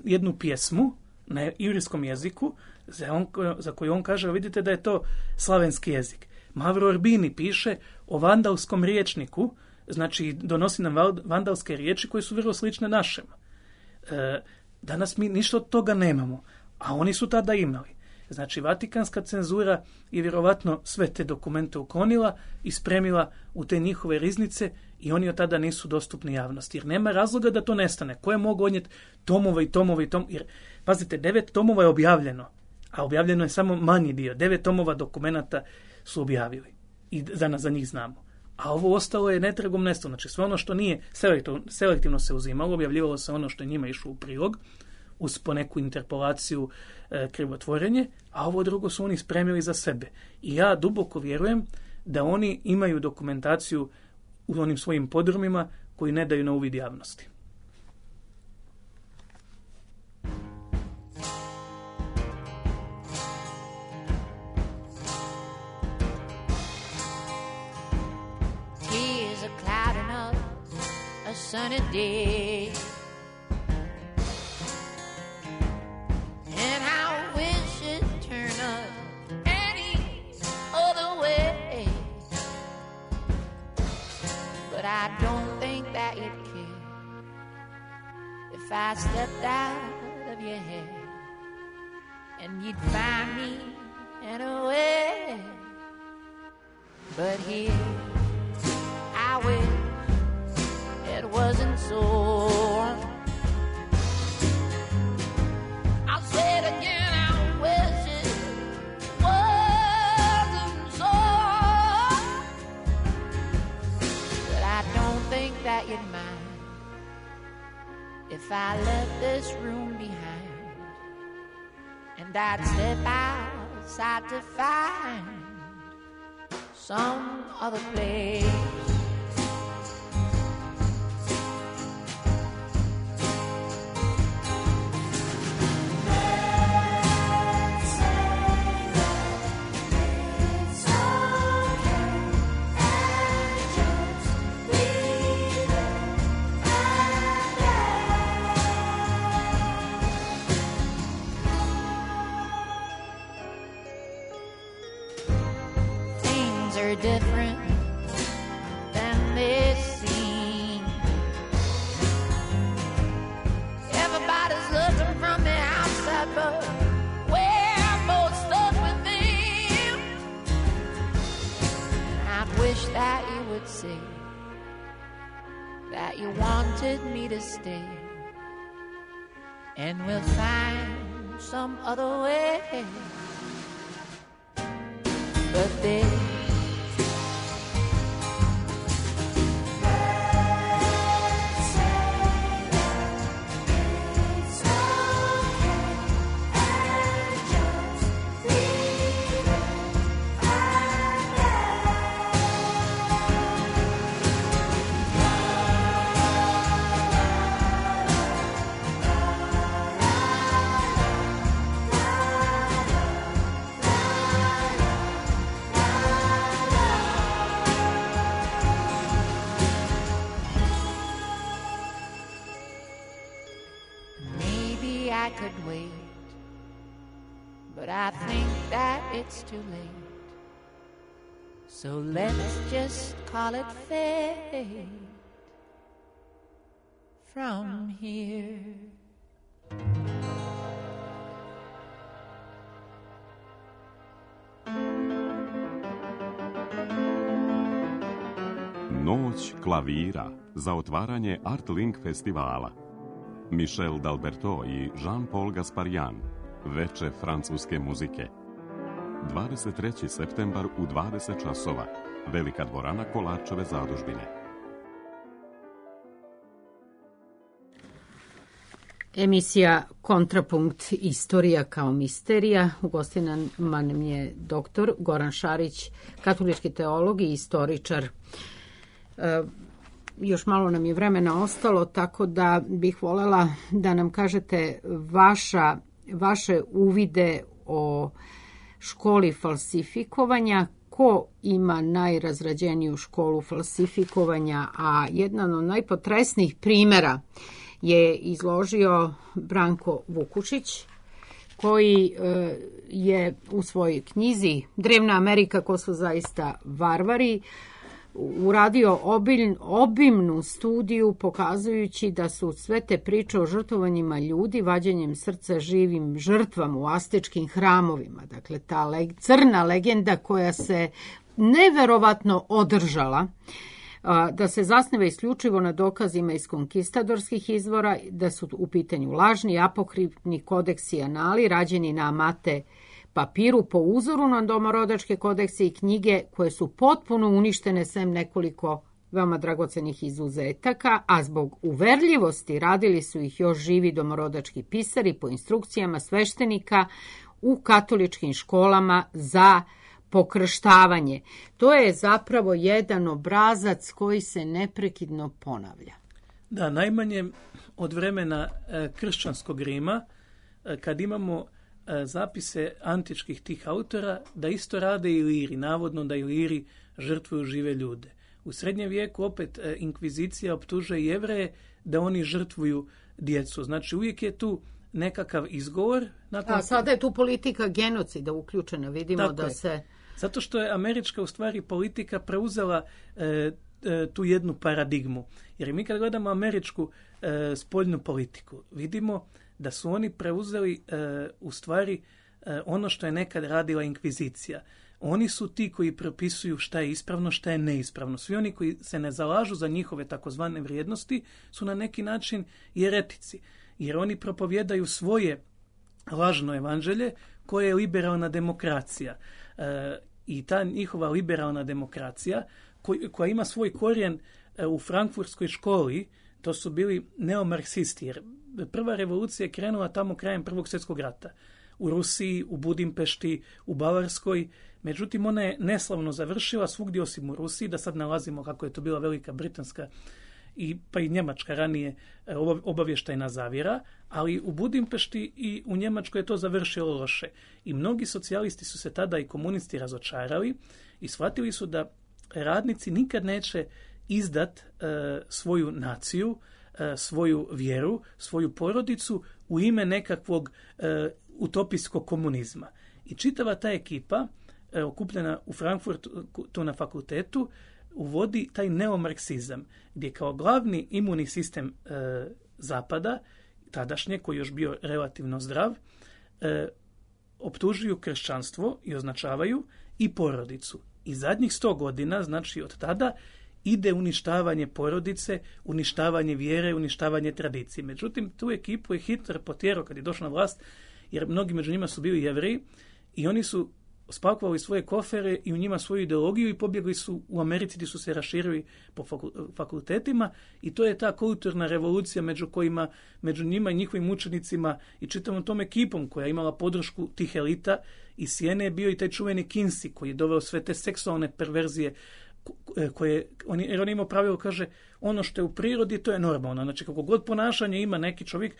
jednu pjesmu na ilirskom jeziku, za koju on kaže, vidite da je to slavenski jezik. Mavro Urbini piše o vandalskom riječniku, znači donosi nam vandalske riječi koje su vrlo slične našem. Danas mi ništa od toga nemamo, a oni su tada imali. Znači, Vatikanska cenzura je vjerovatno sve te dokumente uklonila i spremila u te njihove riznice i oni od tada nisu dostupni javnosti. Jer nema razloga da to nestane. Ko je mogao odnijeti tomova i tomova i tomova? Jer, pazite, 9 tomova je objavljeno, a objavljeno je samo manji dio. 9 tomova dokumenata su objavili i za njih znamo. A ovo ostalo je netragom nestalo. Znači, sve ono što nije selektivno se uzimalo, objavljivalo se ono što je njima išlo u prilog, uz po neku interpolaciju, krivotvorenje, a ovo drugo su oni spremili za sebe. I ja duboko vjerujem da oni imaju dokumentaciju u onim svojim podrumima koji ne daju na uvid javnosti. Here's a cloud enough, a sunny day. And I wish it turned up any other way. I stepped out of your head and you'd find me anywhere. But here I wish it wasn't so. I'll say it again, I wish it wasn't so. But I don't think that you'd mind if I left this room behind and I'd step outside to find some other place. Different than they seem. Everybody's looking from the outside, but we're both stuck with them. And I wish that you would say that you wanted me to stay, and we'll find some other way. But they I could wait, but I think that it's too late. So let's just call it fate from here. Noć klavira za otvaranje Art Link festivala. Michel D'Alberto i Jean-Paul Gasparian, veče francuske muzike. 23. septembar u 20 časova, Velika dvorana Kolarčeve zadužbine. Emisija Kontrapunkt, istorija kao misterija. U gostima nam je doktor Goran Šarić, katolički teolog i istoričar. Još malo nam je vremena ostalo, tako da bih voljela da nam kažete vaše uvide o školi falsifikovanja, ko ima najrazrađeniju školu falsifikovanja, a jedan od najpotresnijih primjera je izložio Branko Vukušić, koji je u svojoj knjizi Drevna Amerika, ko su zaista varvari, uradio obimnu studiju pokazujući da su sve te priče o žrtvovanjima ljudi, vađenjem srca živim žrtvama u astečkim hramovima, dakle ta crna legenda koja se neverovatno održala, da se zasniva isključivo na dokazima iz konkistadorskih izvora, da su u pitanju lažni, apokrifni kodeksi i anali rađeni na amate papiru po uzoru na domorodačke kodekse i knjige koje su potpuno uništene sem nekoliko veoma dragocenih izuzetaka, a zbog uverljivosti radili su ih još živi domorodački pisari po instrukcijama sveštenika u katoličkim školama za pokrštavanje. To je zapravo jedan obrazac koji se neprekidno ponavlja. Da, najmanje od vremena kršćanskog Rima, kad imamo zapise antičkih tih autora, da isto rade i Iliri, navodno da Iliri žrtvuju žive ljude. U srednjem vijeku opet inkvizicija optužuje Jevreje da oni žrtvuju djecu. Znači uvijek je tu nekakav izgovor. A sada je tu politika genocida uključena, vidimo tako da se... Zato što je američka u stvari politika preuzela tu jednu paradigmu. Jer mi kad gledamo američku spoljnu politiku, vidimo da su oni preuzeli u stvari ono što je nekad radila inkvizicija. Oni su ti koji propisuju šta je ispravno, šta je neispravno. Svi oni koji se ne zalažu za njihove takozvane vrijednosti su na neki način jeretici. Jer oni propovjedaju svoje lažno evanđelje koje je liberalna demokracija. I ta njihova liberalna demokracija koja ima svoj korijen u frankfurtskoj školi, to su bili neomarksisti. Jer prva revolucija je krenula tamo krajem Prvog svjetskog rata. U Rusiji, u Budimpešti, u Bavarskoj. Međutim, ona je neslavno završila svugdje osim u Rusiji, da sad nalazimo kako je to bila Velika Britanska pa i Njemačka ranije obavještajna zavjera, ali u Budimpešti i u Njemačkoj je to završilo loše. I mnogi socijalisti su se tada i komunisti razočarali i shvatili su da radnici nikad neće izdat svoju naciju, svoju vjeru, svoju porodicu u ime nekakvog utopijskog komunizma. I čitava ta ekipa, okupljena u Frankfurtu tu na fakultetu, uvodi taj neomarksizam, gdje kao glavni imunni sistem Zapada, tadašnje, koji je još bio relativno zdrav, optužuju kršćanstvo i označavaju i porodicu. I zadnjih 100 godina, znači od tada, ide uništavanje porodice, uništavanje vjere, uništavanje tradicije. Međutim, tu ekipu je Hitler potjerao kad je došao na vlast, jer mnogi među njima su bili Jevreji i oni su spakovali svoje kofere i u njima svoju ideologiju i pobjegli su u Americi gdje su se raširili po fakultetima i to je ta kulturna revolucija među njima i njihovim učenicima i čitavom tom ekipom koja je imala podršku tih elita. Iz Sijene je bio i taj čuveni Kinsey koji je doveo sve te seksualne perverzije jer on imao pravilo, kaže, ono što je u prirodi to je normalno. Znači kako god ponašanje ima neki čovjek,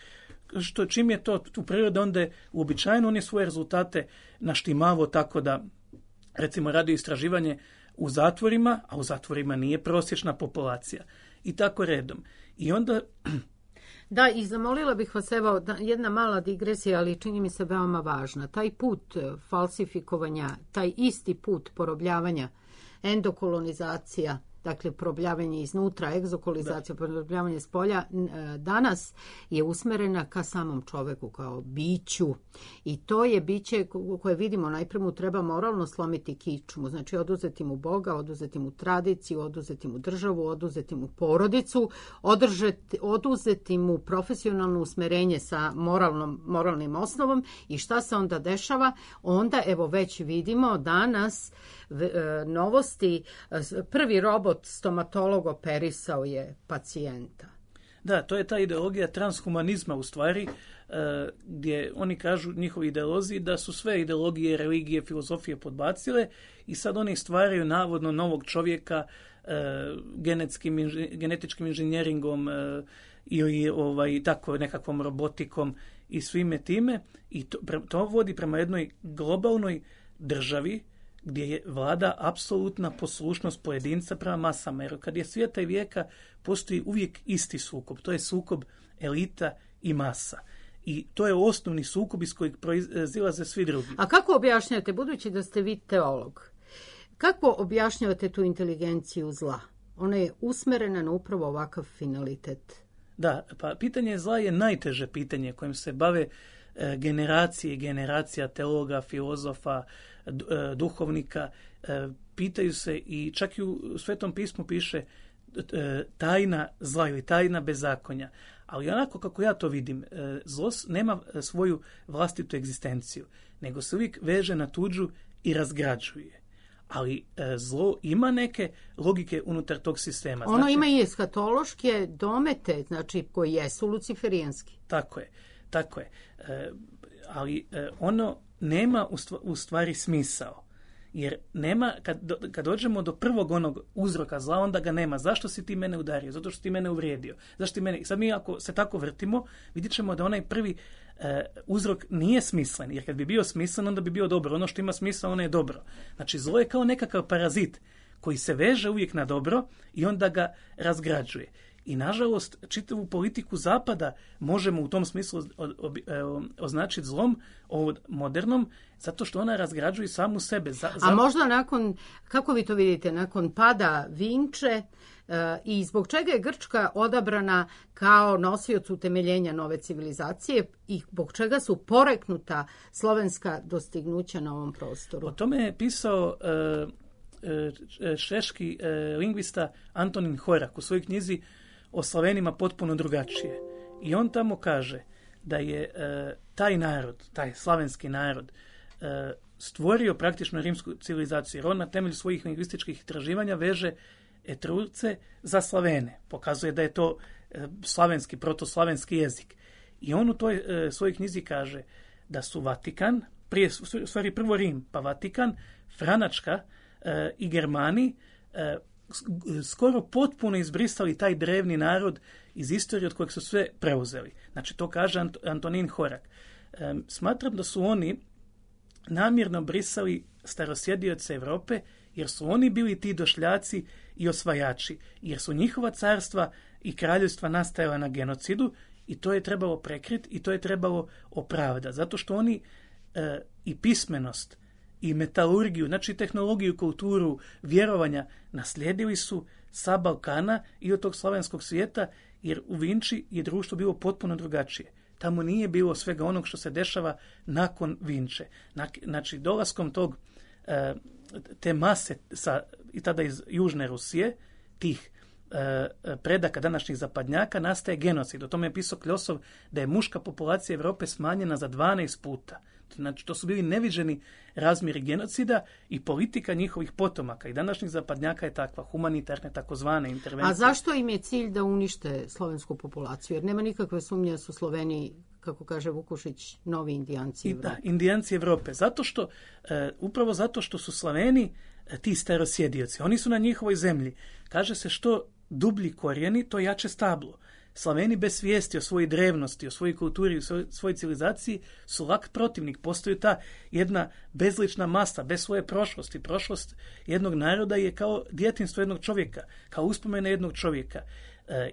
čim je to u prirodi, onda je uobičajeno, on je svoje rezultate naštimavo tako da, recimo, radio istraživanje u zatvorima, a u zatvorima nije prosječna populacija. I tako redom. I onda... Da, i zamolila bih vas, evo, jedna mala digresija, ali čini mi se veoma važna. Taj put falsifikovanja, taj isti put porobljavanja, endokolonizacija, dakle probljavanje iznutra, egzokolizacija, probljavanje s polja, danas je usmerena ka samom čoveku kao biću. I to je biće koje vidimo, najprije mu treba moralno slomiti kičmu, znači oduzeti mu Boga, oduzeti mu tradiciju, oduzeti mu državu, oduzeti mu porodicu, oduzeti mu profesionalno usmerenje sa moralnim osnovom. I šta se onda dešava? Onda, evo, već vidimo danas novosti, prvi robot stomatolog operisao je pacijenta. Da, to je ta ideologija transhumanizma u stvari, gdje oni kažu, njihovi ideolozi, da su sve ideologije, religije, filozofije podbacile i sad oni stvaraju navodno novog čovjeka genetičkim inženjeringom i tako nekakvom robotikom i svime time. I to vodi prema jednoj globalnoj državi gdje je vlada apsolutna poslušnost pojedinca prema masama. Jer kad je svijeta i vijeka, postoji uvijek isti sukob. To je sukob elita i masa. I to je osnovni sukob iz kojeg proizilaze svi drugi. A kako objašnjate, budući da ste vi teolog, kako objašnjavate tu inteligenciju zla? Ona je usmerena na upravo ovakav finalitet. Da, pa pitanje zla je najteže pitanje kojim se bave generacije i generacija teologa, filozofa, duhovnika. Pitaju se i čak i u Svetom pismu piše tajna zla ili tajna bezakonja. Ali onako kako ja to vidim, zlo nema svoju vlastitu egzistenciju, nego se uvijek veže na tuđu i razgrađuje. Ali zlo ima neke logike unutar tog sistema. Ono ima i eskatološke domete, znači koji jesu luciferijanski. Tako je. Ali ono nema u stvari smisao. Jer nema, kad dođemo do prvog onog uzroka zla, onda ga nema. Zašto si ti mene udario? Zato što si ti mene uvrijedio. Zašto ti mene... Sad mi ako se tako vrtimo, vidjet ćemo da onaj prvi uzrok nije smislen. Jer kad bi bio smislen, onda bi bio dobro. Ono što ima smisla, ono je dobro. Znači, zlo je kao nekakav parazit koji se veže uvijek na dobro i onda ga razgrađuje. I nažalost, čitavu politiku Zapada možemo u tom smislu označiti zlom, modernom, zato što ona razgrađuje samu sebe. A možda nakon, kako vi to vidite, nakon pada Vinče i zbog čega je Grčka odabrana kao nosioc utemeljenja nove civilizacije i zbog čega su poreknuta slovenska dostignuća na ovom prostoru? O tome je pisao češki lingvista Antonin Horak u svojoj knjizi o Slovenima potpuno drugačije. I on tamo kaže da je taj narod, taj slavenski narod, stvorio praktično rimsku civilizaciju, jer on na temelju svojih lingvističkih istraživanja veže Etrurce za Slavene. Pokazuje da je to slavenski, protoslavenski jezik. I on u toj svojoj knjizi kaže da su Vatikan, prvo Rim, pa Vatikan, Franačka i Germani skoro potpuno izbrisali taj drevni narod iz istorije od kojeg su sve preuzeli. Znači, to kaže Antonin Horak. Smatram da su oni namjerno brisali starosjedioce Europe, jer su oni bili ti došljaci i osvajači, jer su njihova carstva i kraljevstva nastajala na genocidu i to je trebalo prekriti i to je trebalo opravdati. Zato što oni i pismenost i metalurgiju, znači tehnologiju, kulturu, vjerovanja naslijedili su sa Balkana i od tog slavenskog svijeta, jer u Vinči je društvo bilo potpuno drugačije. Tamo nije bilo svega onog što se dešava nakon Vinče. Znači, dolaskom te mase i tada iz Južne Rusije, tih predaka današnjih zapadnjaka, nastaje genocid. O tome je pisao Kljosov da je muška populacija Europe smanjena za 12 puta. Znači, to su bili neviđeni razmjeri genocida i politika njihovih potomaka. I današnjih zapadnjaka je takva, humanitarne, takozvane intervencije. A zašto im je cilj da unište slovensku populaciju? Jer nema nikakve sumnje da su Sloveni, kako kaže Vukušić, novi indijanci Evrope. Da, indijanci Evrope. Zato što, upravo zato što su Sloveni ti starosjedioci. Oni su na njihovoj zemlji. Kaže se što dublji korijeni, to jače stablo. Slaveni bez svijesti o svojoj drevnosti, o svojoj kulturi, o svojoj civilizaciji su lak protivnik. Postoji ta jedna bezlična masa, bez svoje prošlosti. Prošlost jednog naroda je kao djetinjstvo jednog čovjeka, kao uspomena jednog čovjeka.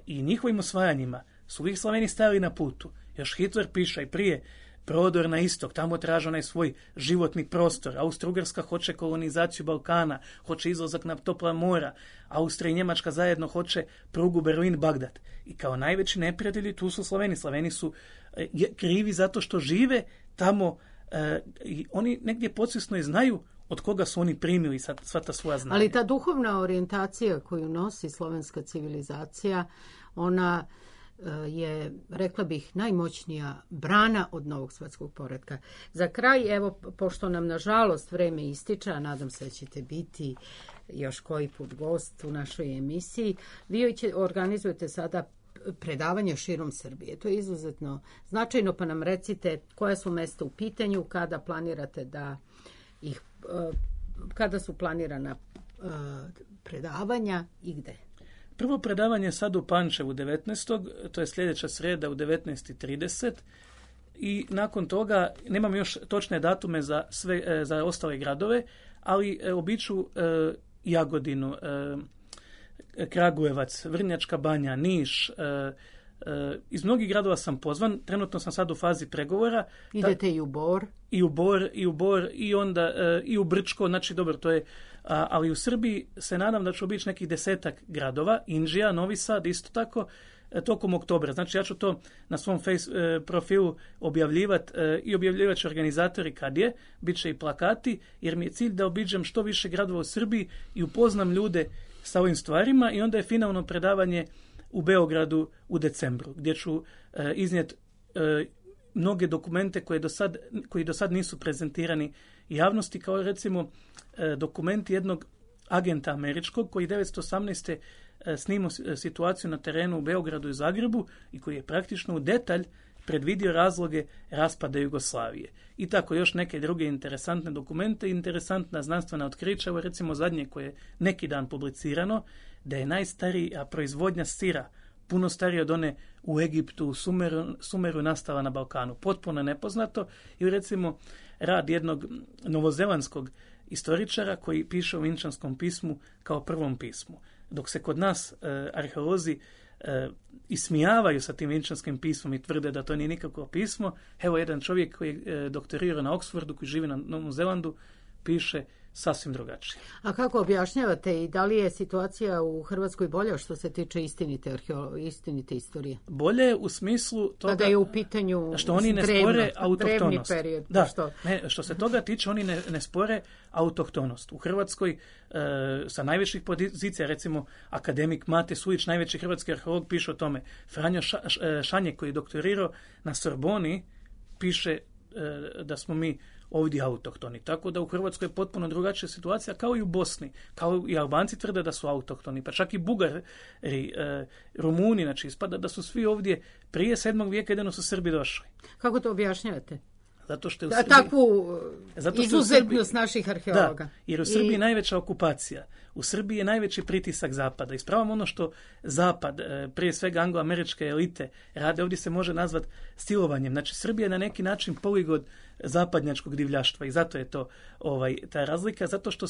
I njihovim osvajanjima su uvijek Slaveni stajali na putu. Još Hitler piše i prije, prodor na istok, tamo traže onaj svoj životni prostor. Austro-Ugarska hoće kolonizaciju Balkana, hoće izlazak na topla mora. Austrija i Njemačka zajedno hoće prugu Berlin-Bagdad. I kao najveći neprijatelji tu su Sloveni. Sloveni su krivi zato što žive tamo i oni negdje podsvjesno i znaju od koga su oni primili sva ta svoja znanja. Ali ta duhovna orijentacija koju nosi slovenska civilizacija, ona je, rekla bih, najmoćnija brana od novog svjetskog poretka. Za kraj, evo, pošto nam nažalost vreme ističe, a nadam se da ćete biti još koji put gost u našoj emisiji, vi organizujete sada predavanje širom Srbije. To je izuzetno značajno, pa nam recite koja su mesta u pitanju, kada planirate da ih, kada su planirana predavanja i gde? Prvo predavanje je sad u Pančevu 19. To je sljedeća sreda u 19:30 i nakon toga nemam još točne datume za ostale gradove, ali običu Jagodinu, Kragujevac, Vrnjačka Banja, Niš. Iz mnogih gradova sam pozvan. Trenutno sam sad u fazi pregovora. Idete i u Bor? I u Bor i onda i u Brčko. Znači, dobro, to je... ali u Srbiji se nadam da ću obići nekih 10 gradova. Inđija, Novi Sad, isto tako, tokom oktobra. Znači, ja ću to na svom profilu objavljivati i objavljivat ću organizatori kad je. Biće i plakati, jer mi je cilj da obiđem što više gradova u Srbiji i upoznam ljude sa ovim stvarima i onda je finalno predavanje u Beogradu u decembru, gdje ću iznijeti mnoge dokumente koji do sad nisu prezentirani javnosti, kao recimo dokumenti jednog agenta američkog koji 1918. snimao situaciju na terenu u Beogradu i Zagrebu i koji je praktično u detalj predvidio razloge raspada Jugoslavije. I tako još neke druge interesantne dokumente, interesantna znanstvena otkrića, evo recimo zadnje koje je neki dan publicirano, da je najstarija proizvodnja sira, puno starija od one u Egiptu, u Sumeru nastala na Balkanu. Potpuno nepoznato. I recimo rad jednog novozelandskog istoričara koji piše u Vinčanskom pismu kao prvom pismu. Dok se kod nas arheolozi ismijavaju sa tim vjenčanskim pismom i tvrde da to nije nikakvo pismo. Evo jedan čovjek koji je doktorirao na Oxfordu, koji živi na Novom Zelandu, piše sasvim drugačije. A kako objašnjavate i da li je situacija u Hrvatskoj bolja što se tiče istinite istorije? Bolje u smislu toga kada je u pitanju što oni ne spore autohtonost. Period, da, što se toga tiče, oni ne spore autohtonost. U Hrvatskoj sa najvećih pozicija, recimo akademik Mate Sujić, najveći hrvatski arheolog, piše o tome. Franjo Šanjek, koji je doktorirao na Sorboni, piše da smo mi ovdje autohtoni. Tako da u Hrvatskoj je potpuno drugačija situacija, kao i u Bosni. Kao i Albanci tvrde da su autohtoni, pa čak i Bugari, Rumuni, znači ispada da su svi ovdje prije 7. vijeka, jedino su Srbi došli. Kako to objašnjavate? Zato što je u Srbiji, takvu izuzetnost naših arheologa. Da, jer u Srbiji je najveća okupacija. U Srbiji je najveći pritisak Zapada. Ispravom ono što Zapad, prije svega angloameričke elite, rade, ovdje se može nazvati silovanjem. Znači, Srbija je na neki način poligon zapadnjačkog divljaštva i zato je to ta razlika, zato što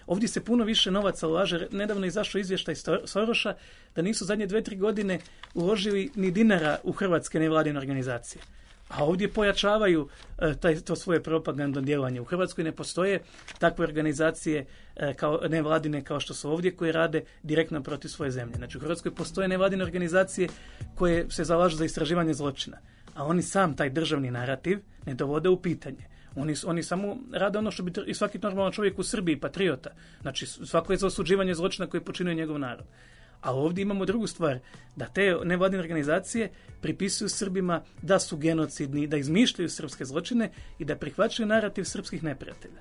ovdje se puno više novaca ulaže. Nedavno je izašao izvještaj Soroša da nisu zadnje 2-3 godine uložili ni dinara u hrvatske nevladine organizacije. A ovdje pojačavaju to svoje propagandno djelovanje. U Hrvatskoj ne postoje takve organizacije kao nevladine kao što su ovdje, koje rade direktno protiv svoje zemlje. Znači u Hrvatskoj postoje nevladine organizacije koje se zalažu za istraživanje zločina. A oni sam taj državni narativ ne dovode u pitanje. Oni samo rade ono što bi i svaki normalan čovjek u Srbiji, patriota. Znači svako je za osuđivanje zločina koji počinio njegov narod. A ovdje imamo drugu stvar, da te nevladine organizacije pripisuju Srbima da su genocidni, da izmišljaju srpske zločine i da prihvaćaju narativ srpskih neprijatelja.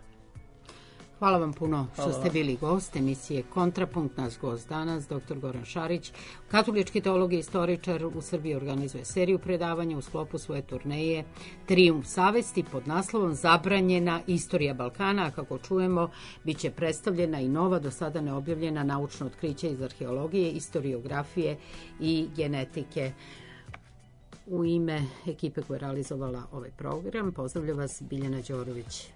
Hvala vam puno što ste bili gost emisije Kontrapunkt. Naš gost danas, dr. Goran Šarić, katolički teolog i istoričar, u Srbiji organizuje seriju predavanja u sklopu svoje turneje Trijumf savesti pod naslovom Zabranjena istorija Balkana, a kako čujemo, bit će predstavljena i nova, do sada neobjavljena naučna otkrića iz arheologije, istoriografije i genetike. U ime ekipe koja je realizovala ovaj program, pozdravlja vas Biljana Đorović.